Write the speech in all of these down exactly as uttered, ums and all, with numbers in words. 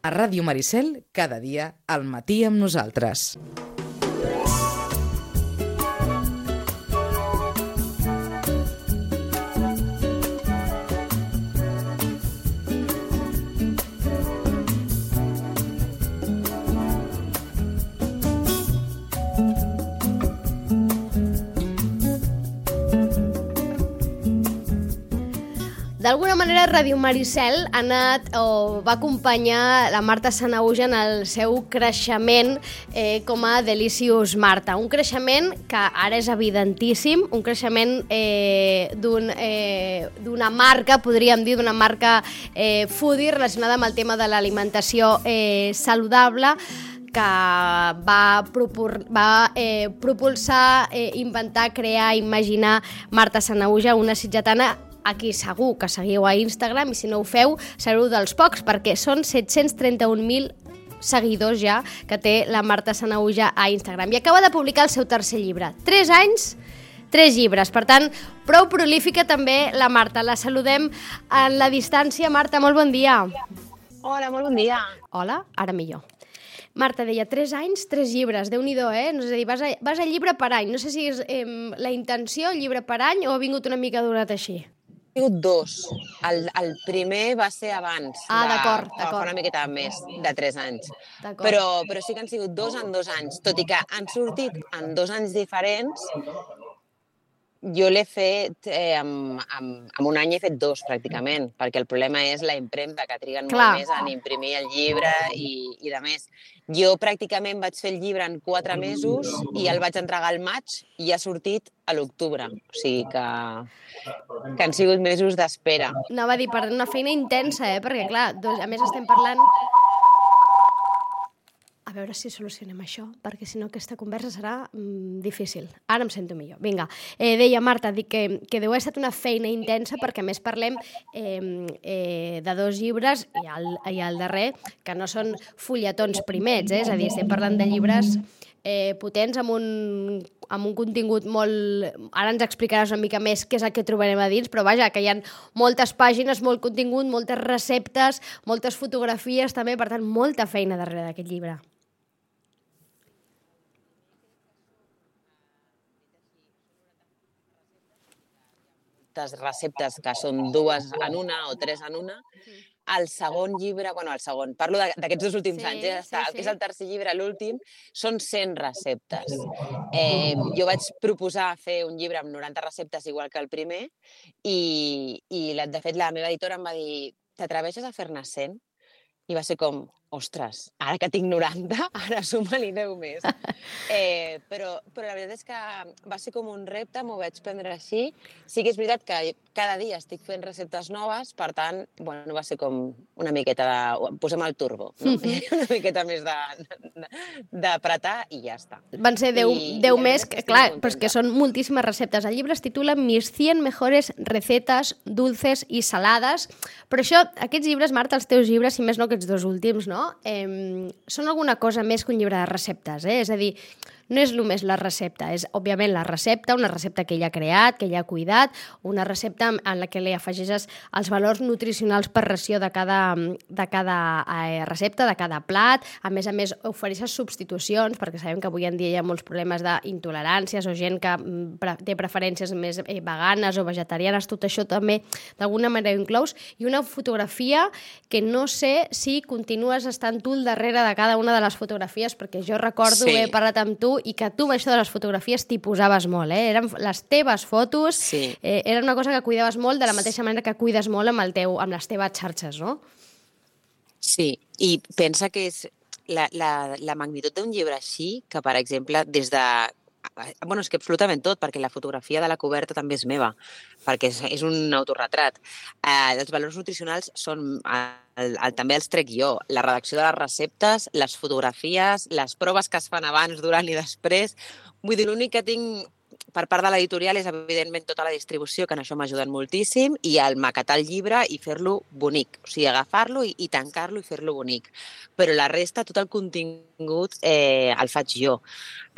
A Ràdio Maricel, cada dia, al matí amb nosaltres. D'alguna manera, Ràdio Maricel ha anat o va acompanyar la Marta Sanahuja en el seu creixement eh, com a Delicious Marta. Un creixement que ara és evidentíssim, un creixement eh, d'un, eh, d'una marca, podríem dir, d'una marca eh, foodie relacionada amb el tema de l'alimentació eh, saludable, que va, propor, va eh, propulsar, eh, inventar, crear, imaginar Marta Sanahuja, una sitgetana a qui segur que seguiu a Instagram, i si no ho feu, sereu dels pocs, perquè són set-cents trenta-un mil seguidors ja que té la Marta Sanahuja a Instagram. I acaba de publicar el seu tercer llibre. Tres anys, tres llibres. Per tant, prou prolífica també la Marta. La saludem en la distància. Marta, molt bon dia. Hola, molt bon dia. Hola, ara millor. Marta deia, tres anys, tres llibres, Déu-n'hi-do, eh? És a dir, vas a, vas a llibre per any. No sé si és eh, la intenció, llibre per any, o ha vingut una mica donat així. Ha sigut dos. El, el primer va ser abans. Ah, de, d'acord, d'acord. Fa una miqueta més, de tres anys. D'acord. Però, però sí que han sigut dos en dos anys. Tot i que han sortit en dos anys diferents, jo l'he fet, eh, amb, amb, amb un any he fet dos, pràcticament, perquè el problema és la impremta, que triguen Clar. molt més en imprimir el llibre i, i de més. Jo pràcticament vaig fer el llibre en quatre mesos i el vaig entregar al maig i ha sortit a l'octubre. O sigui que, que han sigut mesos d'espera. Anava a dir, per una feina intensa, eh? Perquè, clar, doncs, a més estem parlant... A veure si solucionem això, perquè si no aquesta conversa serà mm, difícil. Ara em sento millor. Vinga, eh, deia Marta, dic que, que deu haver estat una feina intensa, perquè a més parlem eh, eh, de dos llibres i el, i el darrer, que no són fulletons primets, eh? És a dir, estem parlant de llibres eh, potents amb un, amb un contingut molt... Ara ens explicaràs una mica més què és el que trobarem a dins, però vaja, que hi ha moltes pàgines, molt contingut, moltes receptes, moltes fotografies també, per tant, molta feina darrere d'aquest llibre. Receptes que són dues en una o tres en una. El segon llibre, bueno, el segon, parlo d'aquests dos últims Sí, anys, eh? sí, El sí. que és el tercer llibre, l'últim, són cent receptes. Eh, jo vaig proposar fer un llibre amb noranta receptes igual que el primer i, i de fet la meva editora em va dir, t'atreveixes a fer-ne cent? I va ser com, ostres, ara que tinc noranta, ara suma-li deu més. Eh, però, però la veritat és que va ser com un repte, m'ho vaig prendre així. Sí que és veritat que cada dia estic fent receptes noves, per tant, bueno, va ser com una miqueta de... Posem el turbo, no? Una miqueta més d'apretar i ja està. Van ser deu, I, deu i més, estic clar, molt però és que contenta. són moltíssimes receptes. El llibre es titula Mis cien mejores recetas dulces i salades, però això, aquests llibres, Marta, els teus llibres, si més no aquests dos últims, no? Eh, són alguna cosa més que un llibre de receptes, eh? És a dir, no és només la recepta, és òbviament la recepta, una recepta que ella ha creat, que ella ha cuidat, una recepta en la que li afegeixes els valors nutricionals per ració de cada, de cada eh, recepta, de cada plat. A més a més, ofereixes substitucions, perquè sabem que avui en dia hi ha molts problemes d'intoleràncies o gent que pre té preferències més eh, veganes o vegetarianes, tot això també d'alguna manera ho inclous, i una fotografia que no sé si continues estant tu al darrere de cada una de les fotografies, perquè jo recordo Sí. haver parlat amb tu i que tu amb això de les fotografies t'hi posaves molt, eh? Eren les teves fotos, Sí. eh, era una cosa que cuidaves molt de la mateixa manera que cuides molt amb, el teu, amb les teves xarxes, no? Sí, i pensa que és la, la, la magnitud d'un llibre així, que, per exemple, des de... Bueno, és que absolutament tot, perquè la fotografia de la coberta també és meva, perquè és, és un autorretrat. Eh, els valors nutricionals són... El, el, també els trec jo. La redacció de les receptes, les fotografies, les proves que es fan abans, durant i després. Vull dir, l'únic que tinc per part de l'editorial és, evidentment, tota la distribució, que en això m'ha ajudat moltíssim, i el maquetar el llibre i fer-lo bonic. O sigui, agafar-lo i, i tancar-lo i fer-lo bonic. Però la resta, tot el contingut, eh, el faig jo.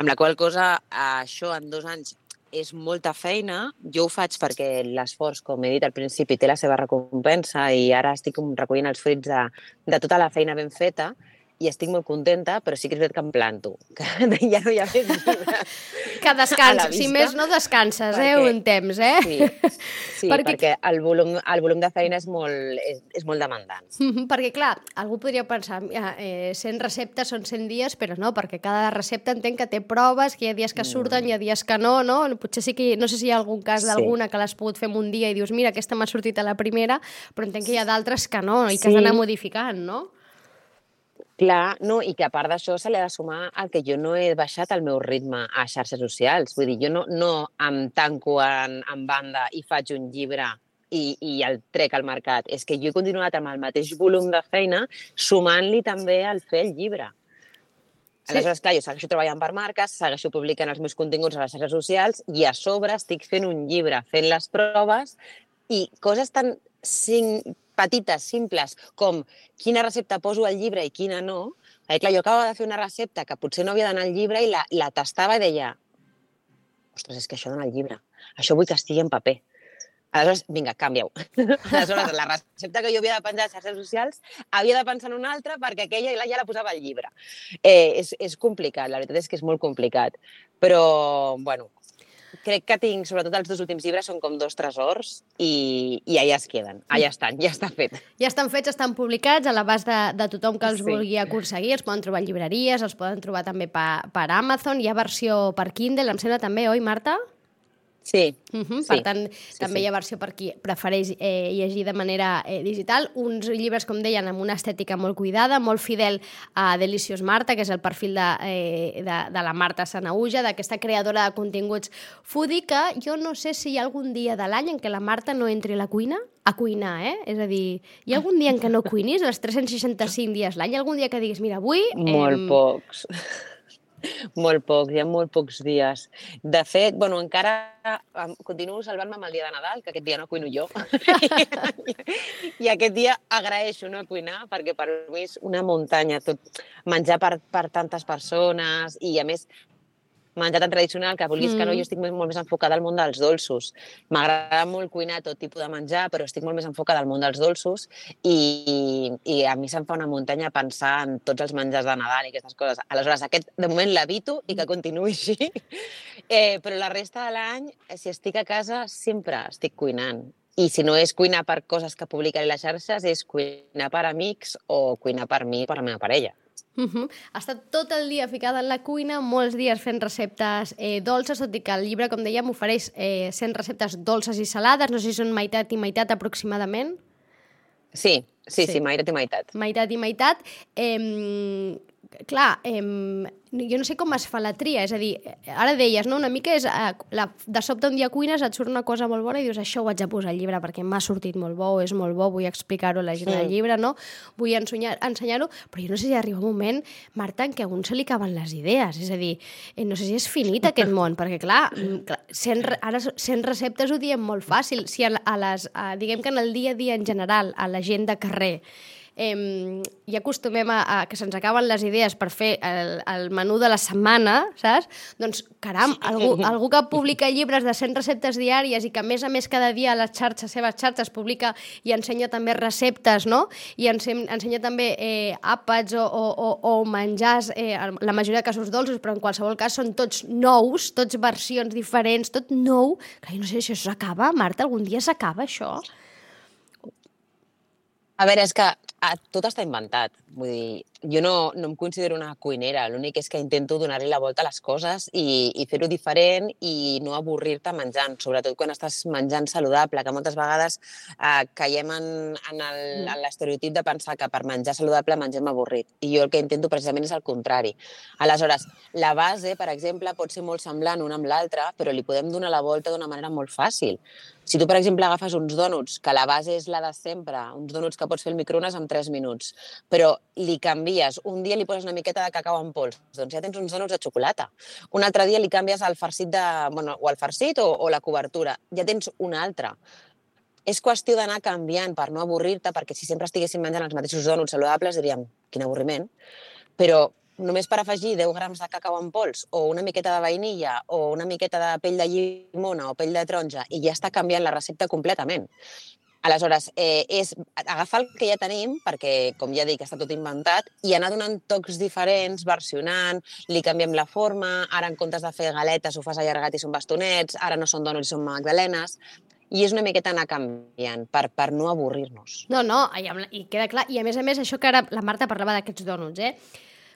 Amb la qual cosa, això en dos anys és molta feina. Jo ho faig perquè l'esforç, com he dit al principi, té la seva recompensa i ara estic recollint els fruits de, de tota la feina ben feta i estic molt contenta, però sí que és veritat que em planto, que ja no hi ha més llibres. Que descanses, si més no descanses, perquè, eh, un temps, eh? Sí, sí perquè, perquè el, volum, el volum de feina és molt, és, és molt demandant. Mm-hmm, perquè, clar, algú podria pensar, eh, cent receptes són cent dies, però no, perquè cada recepta entenc que té proves, que hi ha dies que surten, mm. hi ha dies que no, no? Potser sí que, no sé si hi ha algun cas d'alguna sí. que l'has pogut fer en un dia i dius, mira, aquesta m'ha sortit a la primera, però entenc que hi ha d'altres que no, i que sí. has d'anar modificant, no? Clar, no, i que a part d'això se li ha de sumar el que jo no he baixat el meu ritme a xarxes socials. Vull dir, jo no, no em tanco en, en banda i faig un llibre i, i el trec al mercat. És que jo he continuat amb el mateix volum de feina sumant-li també el fer el llibre. Sí. Aleshores, clar, jo segueixo treballant per marques, segueixo publicant els meus continguts a les xarxes socials i a sobre estic fent un llibre, fent les proves i coses tan cinc, petites, simples, com quina recepta poso al llibre i quina no. Eh, clar, jo acabava de fer una recepta que potser no havia d'anar al llibre i la, la tastava i deia ostres, és que això dona al llibre. Això vull que estigui en paper. Aleshores, vinga, canvia-ho. Aleshores, la recepta que jo havia de penjar a les xarxes socials havia de pensar en una altra perquè aquella ja la posava al llibre. Eh, és, és complicat, la veritat és que és molt complicat. Però, bueno, crec que tinc, sobretot els dos últims llibres, són com dos tresors i, i allà es queden, allà estan, ja està fet. Ja estan fets, estan publicats a l'abast de, de tothom que els sí. vulgui aconseguir, els poden trobar en llibreries, els poden trobar també per, per Amazon, hi ha versió per Kindle, em sembla també, oi, Marta? Sí. Uh-huh. sí. Per tant, sí, també sí. hi ha versió per qui prefereix eh, llegir de manera eh, digital. Uns llibres, com deien, amb una estètica molt cuidada, molt fidel a Delicious Marta, que és el perfil de, eh, de, de la Marta Sanahuja, d'aquesta creadora de continguts foodie, que jo no sé si hi ha algun dia de l'any en què la Marta no entri a la cuina, a cuinar, eh? És a dir, hi ha algun dia en què no cuinis, els tres-cents seixanta-cinc dies l'any? Hi ha algun dia que diguis, mira, avui... Molt eh... pocs. Molt pocs, hi ha molt pocs dies. De fet, bueno, encara continuo salvant-me amb el dia de Nadal, que aquest dia no cuino jo. I aquest dia agraeixo no cuinar, perquè per mi és una muntanya tot menjar per, per tantes persones i, a més, menjar tan tradicional que vulguis mm. que no, jo estic molt més enfocada al món dels dolços. M'agrada molt cuinar tot tipus de menjar, però estic molt més enfocada al món dels dolços i, i a mi se'm fa una muntanya pensar en tots els menjars de Nadal i aquestes coses. Aleshores, aquest, de moment, l'evito i que continuï així. Eh, però la resta de l'any, si estic a casa, sempre estic cuinant. I si no és cuinar per coses que publicaré a les xarxes, és cuinar per amics o cuinar per mi i per la meva parella. Uh-huh. Ha estat tot el dia ficada en la cuina, molts dies fent receptes eh, dolces, tot i que el llibre, com dèiem, ofereix eh, cent receptes dolces i salades, no sé si són meitat i meitat aproximadament. Sí, sí, sí, sí meitat i meitat. Meitat i meitat. Eh, clar, eh, jo no sé com es fa la tria, és a dir, ara deies, no? Una mica és, eh, la, de sobte un dia cuines, et surt una cosa molt bona i dius, això ho haig de posar al llibre perquè m'ha sortit molt bo, és molt bo, vull explicar-ho a la gent sí. del llibre, no? Vull ensenyar, ensenyar-ho, però jo no sé si arriba un moment, Marta, en què a un se li acaben les idees, és a dir, eh, no sé si és finit aquest món, perquè clar, clar cent, ara cent receptes ho diem molt fàcil, si a, a les, a, diguem que en el dia a dia en general, a la gent de carrer, Eh, i acostumem a, a que se'ns acaben les idees per fer el, el menú de la setmana, saps? Doncs, caram, algú, algú que publica llibres de cent receptes diàries i que a més a més cada dia a les xarxes, seves xarxes, publica i ensenya també receptes, no? I ensenya, ensenya també eh, àpats o, o, o, o menjars, eh, la majoria de casos dolços, però en qualsevol cas són tots nous, tots versions diferents, tot nou. Clar, jo no sé si això s'acaba, Marta, algun dia s'acaba això? A veure, és que tot està inventat. Vull dir, jo no, no em considero una cuinera, l'únic és que intento donar-li la volta a les coses i, i fer-ho diferent i no avorrir-te menjant, sobretot quan estàs menjant saludable, que moltes vegades eh, caiem en, en el, en l'estereotip de pensar que per menjar saludable mengem avorrit. I jo el que intento precisament és el contrari. Aleshores, la base, per exemple, pot ser molt semblant una amb l'altra, però li podem donar la volta d'una manera molt fàcil. Si tu, per exemple, agafes uns dònuts, que la base és la de sempre, uns dònuts que pots fer al microones en tres minuts, però li canvies, un dia li poses una miqueta de cacau en pols, doncs ja tens uns dònuts de xocolata. Un altre dia li canvies el farcit de, bueno, o el farcit o, o la cobertura, ja tens un altre. És qüestió d'anar canviant per no avorrir-te, perquè si sempre estiguéssim menjant els mateixos dònuts saludables diríem, quin avorriment, però només per afegir deu grams de cacau en pols o una miqueta de vainilla o una miqueta de pell de llimona o pell de taronja i ja està canviant la recepta completament. Aleshores, eh, és agafar el que ja tenim, perquè, com ja dic, està tot inventat, i anar donant tocs diferents, versionant, li canviem la forma, ara en comptes de fer galetes ho fas allargat i són bastonets, ara no són dònuts i són magdalenes, i és una miqueta anar canviant per, per no avorrir-nos. No, no, i, i queda clar. I a més a més, això que ara la Marta parlava d'aquests dònuts, eh?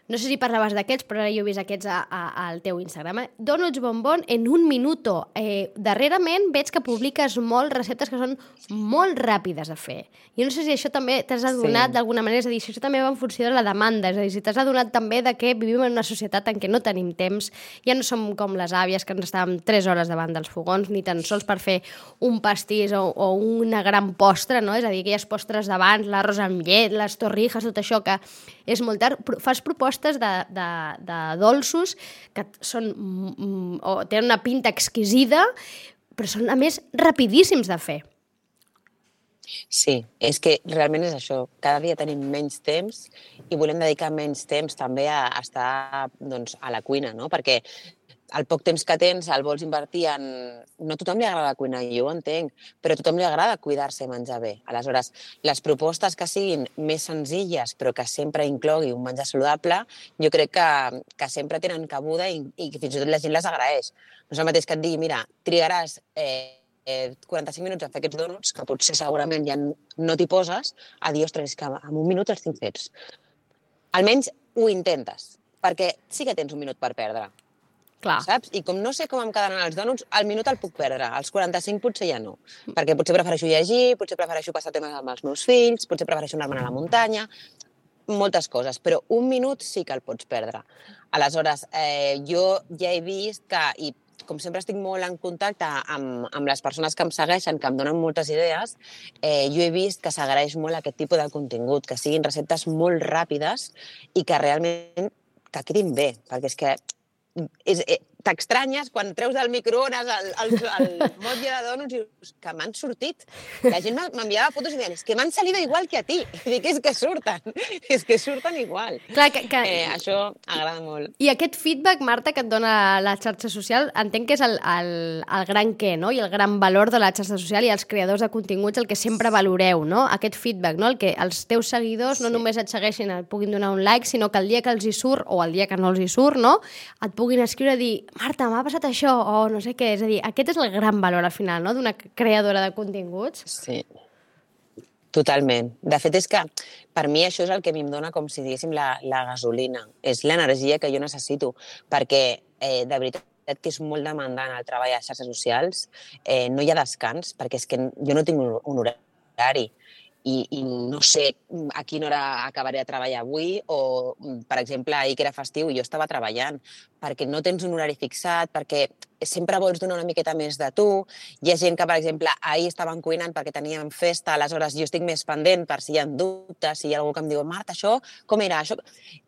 No sé si parlaves d'aquests, però ara jo he vist aquests a, a, al teu Instagram. Eh? Donuts bombón en un minuto. Eh, darrerament veig que publiques molt receptes que són molt ràpides de fer. Jo no sé si això també t'has adonat sí. d'alguna manera, és a dir, si això també va en funció de la demanda, és a dir, si t'has adonat també de que vivim en una societat en què no tenim temps, ja no som com les àvies que ens estàvem tres hores davant dels fogons, ni tan sols per fer un pastís o, o una gran postre, no? És a dir, aquelles postres d'abans, l'arròs amb llet, les torrijas, tot això que és molt tard. Fas propostes de, de, de dolços que són, mm, o tenen una pinta exquisida, però són, a més, rapidíssims de fer. Sí, és que realment és això. Cada dia tenim menys temps i volem dedicar menys temps també a estar doncs, a la cuina, no? Perquè el poc temps que tens el vols invertir en... No a tothom li agrada cuinar, jo ho entenc, però a tothom li agrada cuidar-se i menjar bé. Aleshores, les propostes que siguin més senzilles, però que sempre inclogui un menjar saludable, jo crec que, que sempre tenen cabuda i, i fins i tot la gent les agraeix. No és el mateix que et digui, mira, trigaràs eh, eh, quaranta-cinc minuts a fer aquests dònuts, que potser segurament ja no t'hi poses, a dir, ostres, que en un minut els tinc fets. Almenys ho intentes, perquè sí que tens un minut per perdre. Clar. Saps? I com no sé com em quedaran els dònuts, al minut el puc perdre, als quaranta-cinc potser ja no. Perquè potser prefereixo llegir, potser prefereixo passar temes amb els meus fills, potser prefereixo anar-me'n a la muntanya, moltes coses, però un minut sí que el pots perdre. Aleshores, eh, jo ja he vist que, i com sempre estic molt en contacte amb, amb les persones que em segueixen, que em donen moltes idees, eh, jo he vist que s'agraeix molt aquest tipus de contingut, que siguin receptes molt ràpides i que realment que quedin bé, perquè és que és, eh, t'estranyes quan treus del microones el, el, el motlle de dònuts i dius que m'han sortit. La gent m'enviava fotos i deien, és que m'han salido igual que a ti. I dic, és que surten, és que surten igual. Clar, que, que... Eh, això agrada molt. I aquest feedback, Marta, que et dona la xarxa social, entenc que és el, el, el gran què, no? I el gran valor de la xarxa social i els creadors de continguts, el que sempre valoreu, no? Aquest feedback, no? El que els teus seguidors no sí. només et segueixin, et puguin donar un like, sinó que el dia que els hi surt, o el dia que no els hi surt, no? Et puguin escriure i dir, Marta, m'ha passat això, o no sé què. És a dir, aquest és el gran valor al final, no?, d'una creadora de continguts. Sí, totalment. De fet, és que per mi això és el que a mi em dona, com si diguéssim, la, la gasolina. És l'energia que jo necessito, perquè eh, de veritat que és molt demandant el treball a xarxes socials. Eh, no hi ha descans, perquè és que jo no tinc un, un horari. I, i no sé a quina hora acabaré de treballar avui o, per exemple, ahir que era festiu i jo estava treballant, perquè no tens un horari fixat, perquè sempre vols donar una miqueta més de tu. Hi ha gent que, per exemple, ahir estaven cuinant perquè teníem festa, aleshores jo estic més pendent per si hi ha dubtes, si hi ha algú que em diu, Marta, això com era? Això...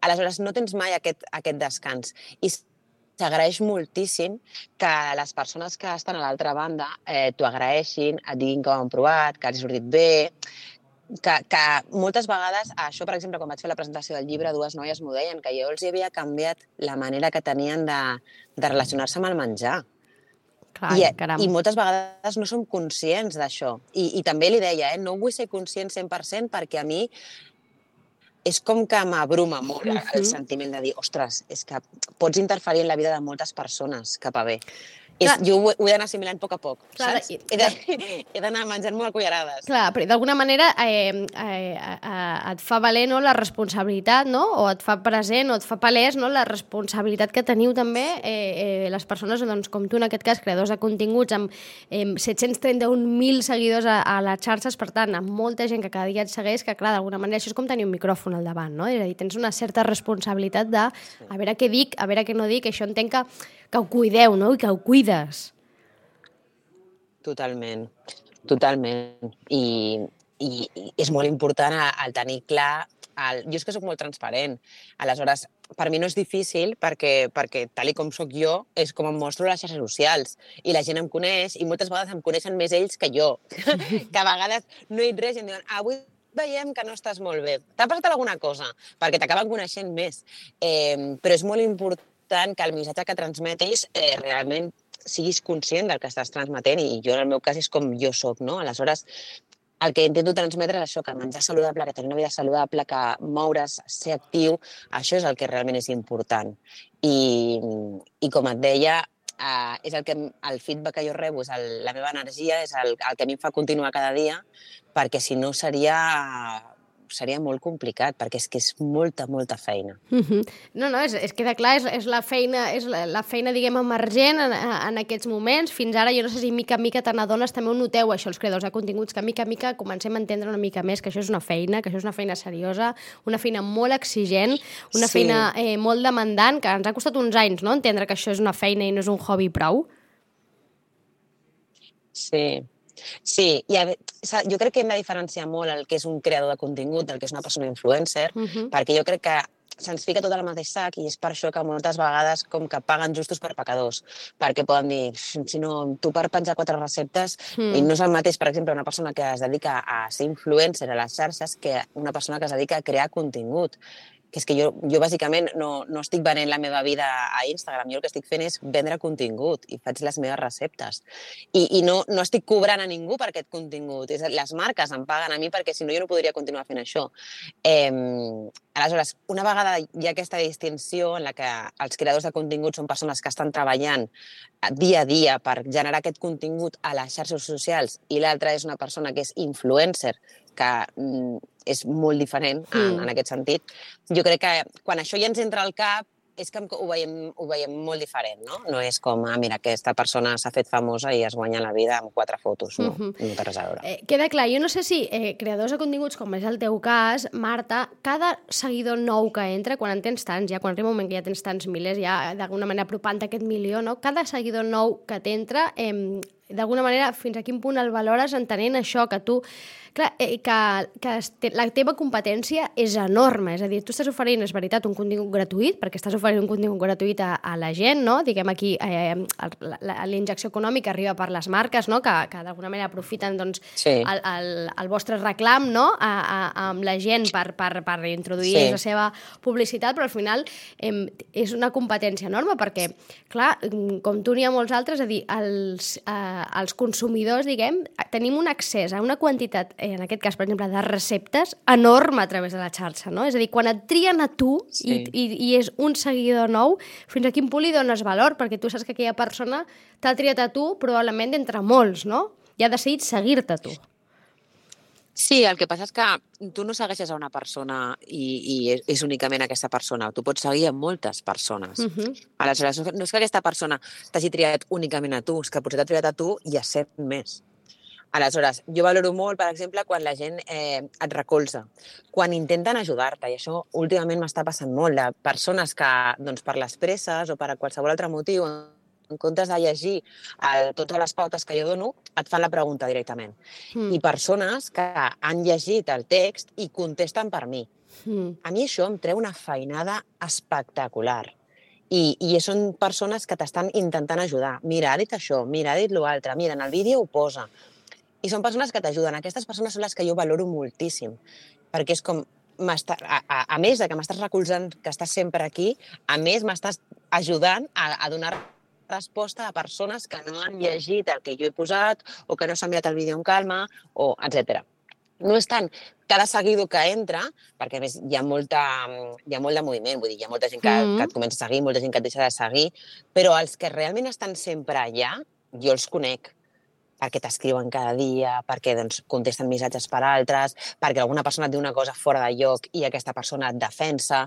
Aleshores no tens mai aquest, aquest descans. I s'agraeix moltíssim que les persones que estan a l'altra banda eh, t'ho agraeixin, et diguin que ho han provat, que els ha sortit bé, que, que moltes vegades, això, per exemple, quan vaig fer la presentació del llibre, dues noies m'ho deien, que jo els havia canviat la manera que tenien de, de relacionar-se amb el menjar. Clar, I, caram. I moltes vegades no som conscients d'això. I, I també li deia, eh, no vull ser conscient cent per cent perquè a mi és com que m'abruma molt uh-huh. el sentiment de dir, ostres, és que pots interferir en la vida de moltes persones cap a bé. És, jo ho, ho he d'anar assimilant a poc a poc, clar, saps? I, he d'anar menjant molt a cullerades. Clar, però d'alguna manera eh, eh, eh, et fa valer, no, la responsabilitat, no? O et fa present, o et fa palès, no, la responsabilitat que teniu també eh, eh, les persones, doncs, com tu, en aquest cas, creadors de continguts, amb eh, set-cents trenta-un mil seguidors a, a les xarxes, per tant, amb molta gent que cada dia et segueix, que, clar, d'alguna manera això és com tenir un micròfon al davant, no? És a dir, tens una certa responsabilitat de a veure què dic, a veure què no dic, això entenc que que ho cuideu, no?, i que ho cuides. Totalment, totalment. I, i, i és molt important el tenir clar... El... Jo és que soc molt transparent. Aleshores, per mi no és difícil perquè, perquè tal i com sóc jo, és com em mostro a les xarxes socials. I la gent em coneix i moltes vegades em coneixen més ells que jo. Que a vegades no he dit res i em diuen, avui veiem que no estàs molt bé. T'ha passat alguna cosa? Perquè t'acaben coneixent més. Eh, però és molt important que el missatge que transmetis eh, realment siguis conscient del que estàs transmetent, i jo en el meu cas és com jo soc, no? Aleshores, el que intento transmetre és això, que menjar saludable, que tenir una vida saludable, que moure's, ser actiu, això és el que realment és important. I, i com et deia, Uh, és el, que, el feedback que jo rebo, és el, la meva energia, és el, el que a mi em fa continuar cada dia, perquè si no seria, seria molt complicat, perquè és que és molta, molta feina. Uh-huh. No, no, és, és queda clar, és, és la feina, és la, la feina, diguem, emergent en, en aquests moments. Fins ara, jo no sé si mica en mica te n'adones, també ho noteu, això, els creadors de continguts, que mica en mica comencem a entendre una mica més que això és una feina, que això és una feina seriosa, una feina molt exigent, una sí. feina eh, molt demandant, que ens ha costat uns anys, no?, entendre que això és una feina i no és un hobby prou. Sí. Sí, i a, jo crec que hem de diferenciar molt el que és un creador de contingut del que és una persona influencer, uh-huh. perquè jo crec que se'ns fica tot al mateix sac i és per això que moltes vegades com que paguen justos per pecadors, perquè poden dir, si no, tu per penjar quatre receptes, mm. i no és el mateix, per exemple, una persona que es dedica a ser influencer a les xarxes que una persona que es dedica a crear contingut. Que és que jo, jo bàsicament no, no estic venent la meva vida a Instagram, jo el que estic fent és vendre contingut i faig les meves receptes. I, i no, no estic cobrant a ningú per aquest contingut, és, les marques em paguen a mi perquè si no jo no podria continuar fent això. Eh, aleshores, una vegada hi ha aquesta distinció en la que els creadors de contingut són persones que estan treballant dia a dia per generar aquest contingut a les xarxes socials i l'altra és una persona que és influencer, que mm, és molt diferent en, mm. en aquest sentit. Jo crec que quan això ja ens entra al cap és que ho veiem, ho veiem molt diferent, no? No és com, ah, mira, aquesta persona s'ha fet famosa i es guanya la vida amb quatre fotos, no? Uh-huh. No té res a veure. Eh, queda clar, jo no sé si eh, creadors de continguts, com és el teu cas, Marta, cada seguidor nou que entra, quan en tens tants, ja quan arriba un moment que ja tens tants milers, ja d'alguna manera apropant aquest milió, no? Cada seguidor nou que t'entra, eh, d'alguna manera, fins a quin punt el valores entenent això, que tu... Clar, eh, que, que la teva competència és enorme, és a dir, tu estàs oferint, és veritat, un contingut gratuït, perquè estàs oferint un contingut gratuït a, a la gent, no? Diguem aquí, eh, la, la, la injecció econòmica arriba per les marques, no? Que, que d'alguna manera aprofiten doncs, sí. el, el, el vostre reclam, no? A, a, amb la gent per, per, per introduir sí. la seva publicitat, però al final eh, és una competència enorme, perquè, clar, com tu n'hi ha molts altres, és a dir, els, eh, els consumidors, diguem, tenim un accés a una quantitat en aquest cas, per exemple, de receptes enorme a través de la xarxa, no? És a dir, quan et trien a tu sí. i, i, i és un seguidor nou, fins a quin punt li dones valor? Perquè tu saps que aquella persona t'ha triat a tu probablement d'entre molts, no? I ha decidit seguir-te a tu. Sí, el que passa és que tu no segueixes a una persona i, i és únicament aquesta persona. Tu pots seguir a moltes persones. Uh-huh. Aleshores, no és que aquesta persona t'hagi triat únicament a tu, és que potser t'ha triat a tu i a set més. Aleshores, jo valoro molt, per exemple, quan la gent eh, et recolza, quan intenten ajudar-te, i això últimament m'està passant molt, de persones que, doncs, per les presses o per a qualsevol altre motiu, en comptes de llegir el, totes les pautes que jo dono, et fan la pregunta directament. Mm. I persones que han llegit el text i contesten per mi. Mm. A mi això em treu una feinada espectacular. I, i són persones que t'estan intentant ajudar. Mira, ha dit això, mira, ha dit l'altre, mira, en el vídeo ho posa. I són persones que t'ajuden. Aquestes persones són les que jo valoro moltíssim, perquè és com, a, a, a més de que m'estàs recolzant, que estàs sempre aquí, a més m'estàs ajudant a, a donar resposta a persones que no han llegit el que jo he posat o que no s'han mirat el vídeo amb calma, o etcètera. No és tant cada seguidor que entra, perquè a més hi ha, molta, hi ha molt de moviment, vull dir, hi ha molta gent que, mm. que et comença a seguir, molta gent que et deixa de seguir, però els que realment estan sempre allà, jo els conec, perquè t'escriuen cada dia, perquè doncs, contesten missatges per altres, perquè alguna persona et diu una cosa fora de lloc i aquesta persona et defensa,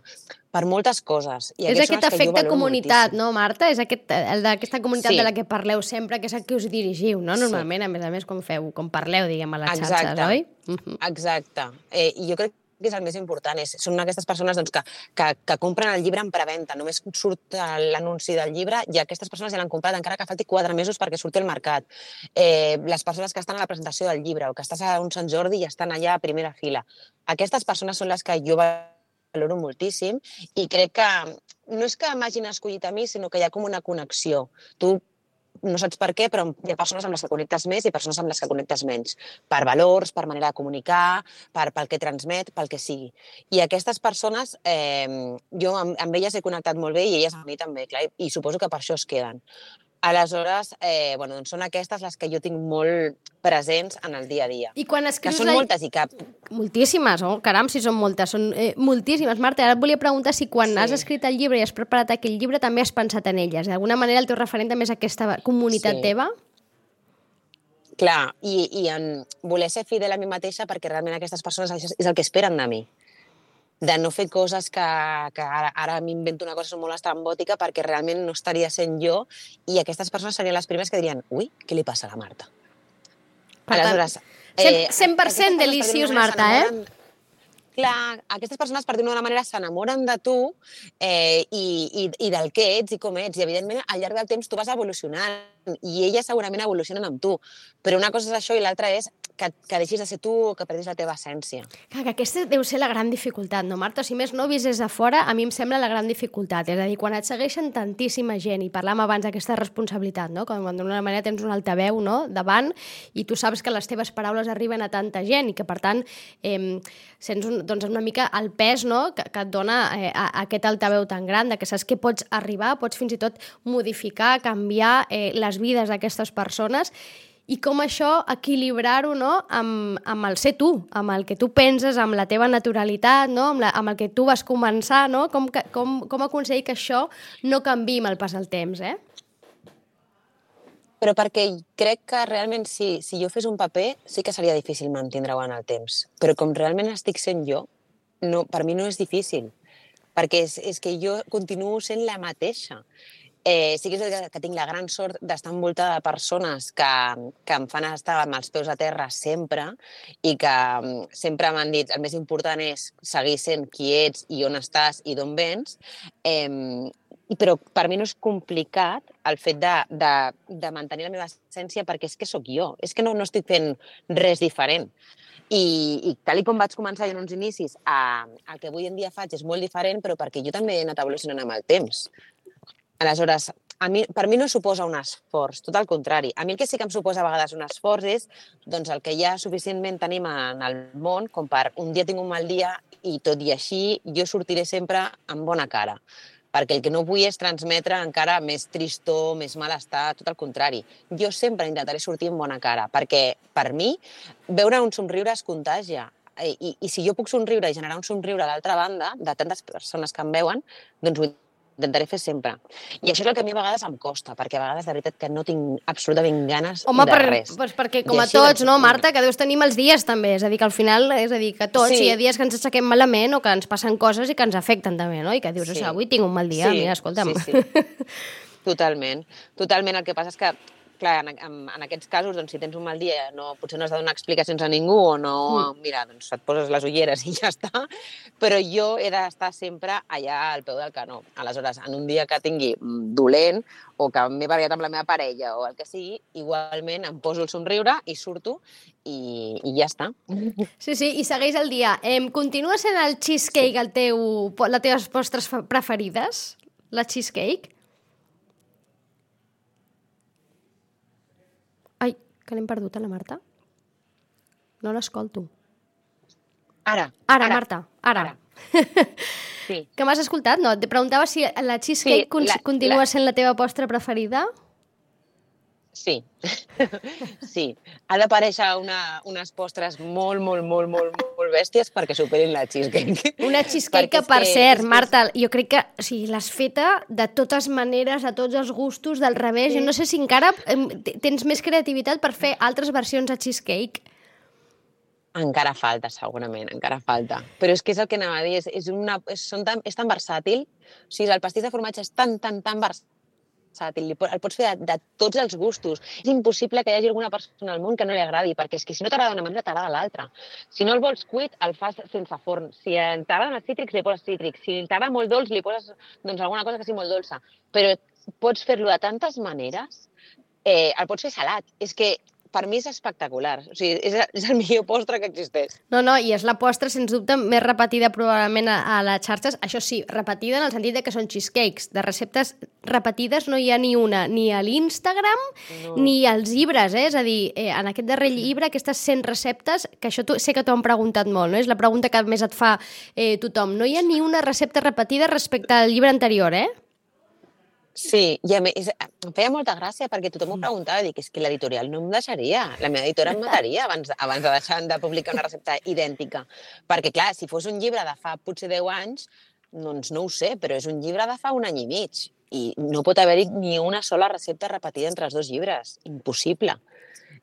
per moltes coses. I és aquest efecte comunitat, moltíssim. No, Marta? És aquest, el d'aquesta comunitat sí. de la que parleu sempre, que és a qui us dirigiu, no? Normalment, sí. a més a més, com feu, com parleu, diguem, a les Exacte. xarxes, oi? Uh-huh. Exacte. Eh, I jo crec que és el més important. És, són aquestes persones doncs, que, que, que compren el llibre en preventa. Només surt l'anunci del llibre i aquestes persones ja l'han comprat, encara que falti quatre mesos perquè surti al mercat. Eh, les persones que estan a la presentació del llibre o que estàs a un Sant Jordi i estan allà a primera fila. Aquestes persones són les que jo valoro moltíssim i crec que no és que m'hagin escollit a mi, sinó que hi ha com una connexió. Tu no saps per què, però hi ha persones amb les que connectes més i persones amb les que connectes menys. Per valors, per manera de comunicar, per, pel que transmet, pel que sigui. I aquestes persones, eh, jo amb, amb elles he connectat molt bé i elles amb mi també, clar, i, i suposo que per això es queden. Aleshores, eh, bueno, doncs són aquestes les que jo tinc molt presents en el dia a dia. I quan escrius... Que són la... moltes i cap... Moltíssimes, oh, caram, si són moltes, són eh, moltíssimes. Marta, ara et volia preguntar si quan sí. has escrit el llibre i has preparat aquell llibre també has pensat en elles. D'alguna manera el teu referent també és aquesta comunitat sí. teva? Clar, i, i en voler ser fidel a mi mateixa perquè realment aquestes persones és el que esperen de mi. De no fer coses que, que ara, ara m'invento una cosa molt estrambòtica perquè realment no estaria sent jo i aquestes persones serien les primeres que dirien ui, què li passa a la Marta? Per Aleshores, tant, eh, cent per cent deliciós, Marta, eh? Clar, aquestes persones, per dir-ho d'una manera, s'enamoren de tu eh, i, i, i del que ets i com ets. I, evidentment, al llarg del temps tu vas evolucionant i elles segurament evolucionen amb tu. Però una cosa és això i l'altra és que, que deixis de ser tu o que perdis la teva essència. Clar, que aquesta deu ser la gran dificultat, no, Marta? Si més no, vist des de fora, a mi em sembla la gran dificultat. És a dir, quan et segueixen tantíssima gent, i parlàvem abans d'aquesta responsabilitat, no? Quan d'una manera tens un altaveu, no?, davant, i tu saps que les teves paraules arriben a tanta gent i que, per tant, eh, sents un, doncs una mica el pes, no?, que, que et dona eh, a, a aquest altaveu tan gran, de que saps que pots arribar, pots fins i tot modificar, canviar eh, les vides d'aquestes persones, i com això equilibrar-ho, no?, amb, amb el ser tu, amb el que tu penses, amb la teva naturalitat, no?, amb, la, amb el que tu vas començar, no?, com, com, com aconseguir que això no canviï amb el pas del temps, eh? Però perquè crec que realment si, si jo fes un paper sí que seria difícil mantindre-ho en el temps. Però com realment estic sent jo, no, per mi no és difícil, perquè és, és que jo continuo sent la mateixa. Eh, sí que és que, que tinc la gran sort d'estar envoltada de persones que, que em fan estar amb els peus a terra sempre i que um, sempre m'han dit el més important és seguir sent qui ets i on estàs i d'on vens, eh, però per mi no és complicat el fet de, de, de mantenir la meva essència perquè és que sóc jo, és que no, no estic fent res diferent. I, i tal com vaig començar en uns inicis, a, el que avui en dia faig és molt diferent, però perquè jo també he anat evolucionant amb el temps. Aleshores, a mi, per mi no suposa un esforç, tot el contrari. A mi el que sí que em suposa a vegades un esforç és doncs, el que ja suficientment tenim en el món com per un dia tinc un mal dia i tot i així jo sortiré sempre amb bona cara. Perquè el que no vull és transmetre encara més tristor, més malestar, tot el contrari. Jo sempre intentaré sortir amb bona cara, perquè per mi veure un somriure es contagia. I, i, i si jo puc somriure i generar un somriure a l'altra banda, de tantes persones que em veuen, doncs ho intentaré fer sempre. I això és el que a mi a vegades em costa, perquè a vegades de veritat que no tinc absolutament ganes Home, de per, res. Pues perquè com a tots, no, Marta, que deus tenir mals dies també, és a dir, que al final, és a dir, que tots, sí. Hi ha dies que ens aixequem malament o que ens passen coses i que ens afecten també, no? I que dius, sí. Avui tinc un mal dia, sí. Mira, escolta'm. Sí, sí. Totalment. Totalment. El que passa és que clar, en, en, en aquests casos, doncs, si tens un mal dia, no, potser no has de donar explicacions a ningú o no, mm. mira, doncs et poses les ulleres i ja està, però jo he d'estar sempre allà al peu del canó. Aleshores, en un dia que tingui dolent o que m'he barallat amb la meva parella o el que sigui, igualment em poso el somriure i surto i, i ja està. Sí, sí, i segueix el dia. Eh, continua sent el cheesecake sí. el teu, les teves postres preferides? La cheesecake? Ai, que l'hem perdut, a la Marta? No l'escolto. Ara, ara. Ara, Marta, ara. ara. Sí. Que m'has escoltat? No, et preguntava si la cheesecake sí, la, continua la... sent la teva postre preferida? Sí, sí. Ha d'aparèixer una, unes postres molt, molt, molt, molt, molt bèsties perquè superin la cheesecake. Una cheesecake que, per que, cert, Marta, jo crec que o sigui, l'has feta de totes maneres, a tots els gustos, del revés. Sí. Jo no sé si encara tens més creativitat per fer altres versions de cheesecake. Encara falta, segurament, encara falta. Però és que és el que anava a dir, és, és, una, és, són tan, és tan versàtil. O sigui, el pastís de formatge és tan, tan, tan versàtil. El pots fer de, de tots els gustos. És impossible que hi hagi alguna persona al món que no li agradi, perquè és que si no t'agrada una manera, t'agrada l'altra. Si no el vols cuit, el fas sense forn. Si t'agraden els cítrics, li poses cítrics. Si t'agrada molt dolç, li poses doncs, alguna cosa que sigui molt dolça. Però pots fer-lo de tantes maneres. Eh, el pots fer salat. És que per mi és espectacular. O sigui, és, és el millor postre que existeix. No, no, i és la postre, sens dubte, més repetida probablement a, a les xarxes. Això sí, repetida en el sentit de que són cheesecakes. De receptes repetides no hi ha ni una, ni a l'Instagram, no. ni als llibres, eh? És a dir, eh, en aquest darrer llibre, aquestes cent receptes, que això tu, sé que t'ho han preguntat molt, no? És la pregunta que més et fa eh, tothom. No hi ha ni una recepta repetida respecte al llibre anterior, eh? Sí, i a més, em feia molta gràcia perquè tothom m'ho preguntava, dic, és que l'editorial no em deixaria, la meva editora em mataria abans, abans de deixar de publicar una recepta idèntica. Perquè, clar, si fos un llibre de fa potser deu anys, doncs no ho sé, però és un llibre de fa un any i mig i no pot haver-hi ni una sola recepta repetida entre els dos llibres. Impossible.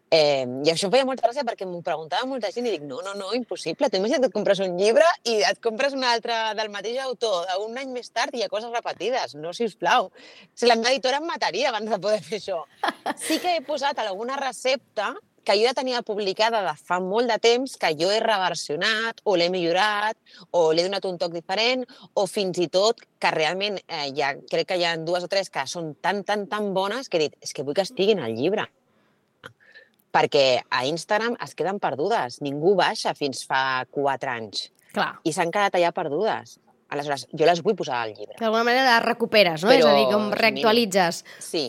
Eh, I això em feia molta gràcia perquè m'ho preguntava molta gent i dic, no, no, no, impossible. Tu imagina't que et compres un llibre i et compres un altre del mateix autor un any més tard i hi ha coses repetides. No, sisplau. Si la meva editora em mataria abans de poder fer això. Sí que he posat alguna recepta que jo ja tenia publicada de fa molt de temps, que jo he reversionat o l'he millorat o l'he donat un toc diferent o fins i tot que realment eh, ja, crec que hi ha dues o tres que són tan, tan, tan bones que he dit, és que vull que estiguin al llibre. Perquè a Instagram es queden perdudes. Ningú baixa fins fa quatre anys. Clar. I s'han quedat allà perdudes. Aleshores, jo les vull posar al llibre. D'alguna manera les recuperes, no? Però, és a dir, com reactualitzes. Sí.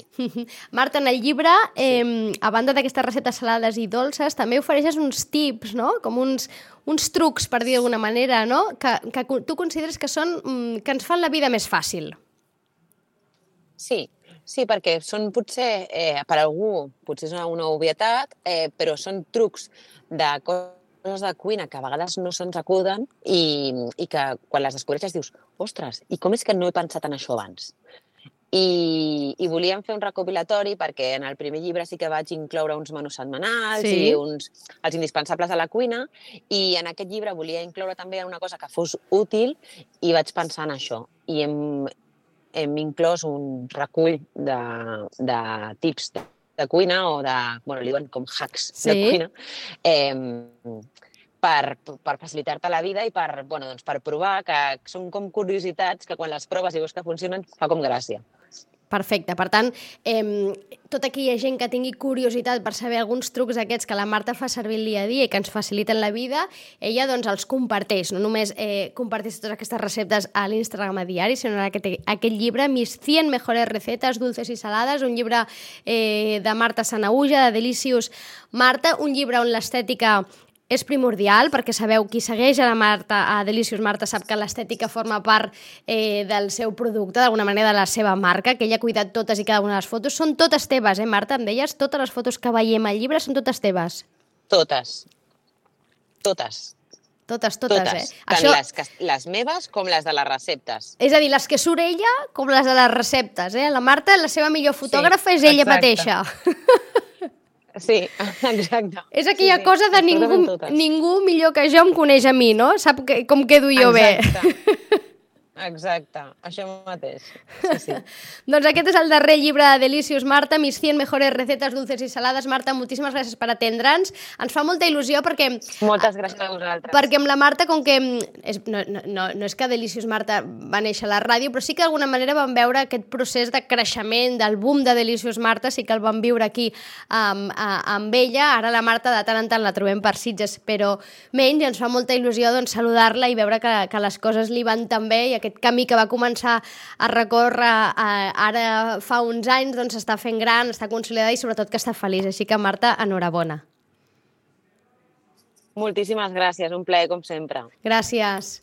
Marta, en el llibre, eh, sí. a banda d'aquestes receptes salades i dolces, també ofereixes uns tips, no? Com uns, uns trucs, per dir d'alguna manera, no? Que, que tu consideres que són que ens fan la vida més fàcil. Sí. Sí, perquè són potser, eh, per algú, potser és una, una obvietat, eh, però són trucs de coses de cuina que a vegades no se'ns acuden i, i que quan les descobreixes dius, ostres, i com és que no he pensat en això abans? I, i volíem fer un recopilatori perquè en el primer llibre sí que vaig incloure uns menús setmanals sí. i uns, els indispensables de la cuina i en aquest llibre volia incloure també una cosa que fos útil i vaig pensar en això. I hem... hem inclòs un recull de, de tips de, de cuina o de, bueno, li diuen com hacks sí. de cuina, eh, per, per facilitar-te la vida i per, bueno, doncs per provar, que són com curiositats que quan les proves i veus que funcionen fa com gràcia. Perfecte. Per tant, eh, tota aquella gent que tingui curiositat per saber alguns trucs aquests que la Marta fa servir el dia a dia i que ens faciliten la vida, ella doncs els comparteix. No només eh, comparteix totes aquestes receptes a l'Instagram a diari, sinó en aquest, aquest llibre, Mis cien mejores recetas dulces y saladas, un llibre eh, de Marta Sanahuja, de Delicious Marta, un llibre on l'estètica és primordial, perquè sabeu, qui segueix a la Marta, a Delicious Marta, sap que l'estètica forma part eh, del seu producte, d'alguna manera de la seva marca, que ella ha cuidat totes i cada una de les fotos. Són totes teves, eh, Marta? Em deies, totes les fotos que veiem al llibre són totes teves. Totes. Totes. Totes, totes, totes. eh? Tant Això... les, les meves com les de les receptes. És a dir, les que surt ella com les de les receptes, eh? La Marta, la seva millor fotògrafa sí, és ella exacte. mateixa. Sí, exacte. És aquella sí, sí. cosa de ningú, ningú millor que jo em coneix a mi, no? Sap que, com quedo jo exacte. bé. Exacte, això mateix. Sí, sí. Doncs aquest és el darrer llibre de Delicious Marta, Mis cien mejores recetas dulces y saladas. Marta, moltíssimes gràcies per atendre'ns. Ens fa molta il·lusió perquè... Moltes gràcies a vosaltres. Perquè amb la Marta, com que... És, no, no, no és que Delicious Marta va néixer a la ràdio, però sí que d'alguna manera vam veure aquest procés de creixement, del boom de Delicious Marta, sí que el vam viure aquí amb, amb ella. Ara la Marta de tant en tant la trobem per Sitges, però menys, ens fa molta il·lusió doncs, saludar-la i veure que, que les coses li van tan bé i aquest camí que va començar a recórrer eh, ara fa uns anys, doncs està fent gran, està consolidada i sobretot que està feliç. Així que, Marta, enhorabona. Moltíssimes gràcies, un plaer com sempre. Gràcies.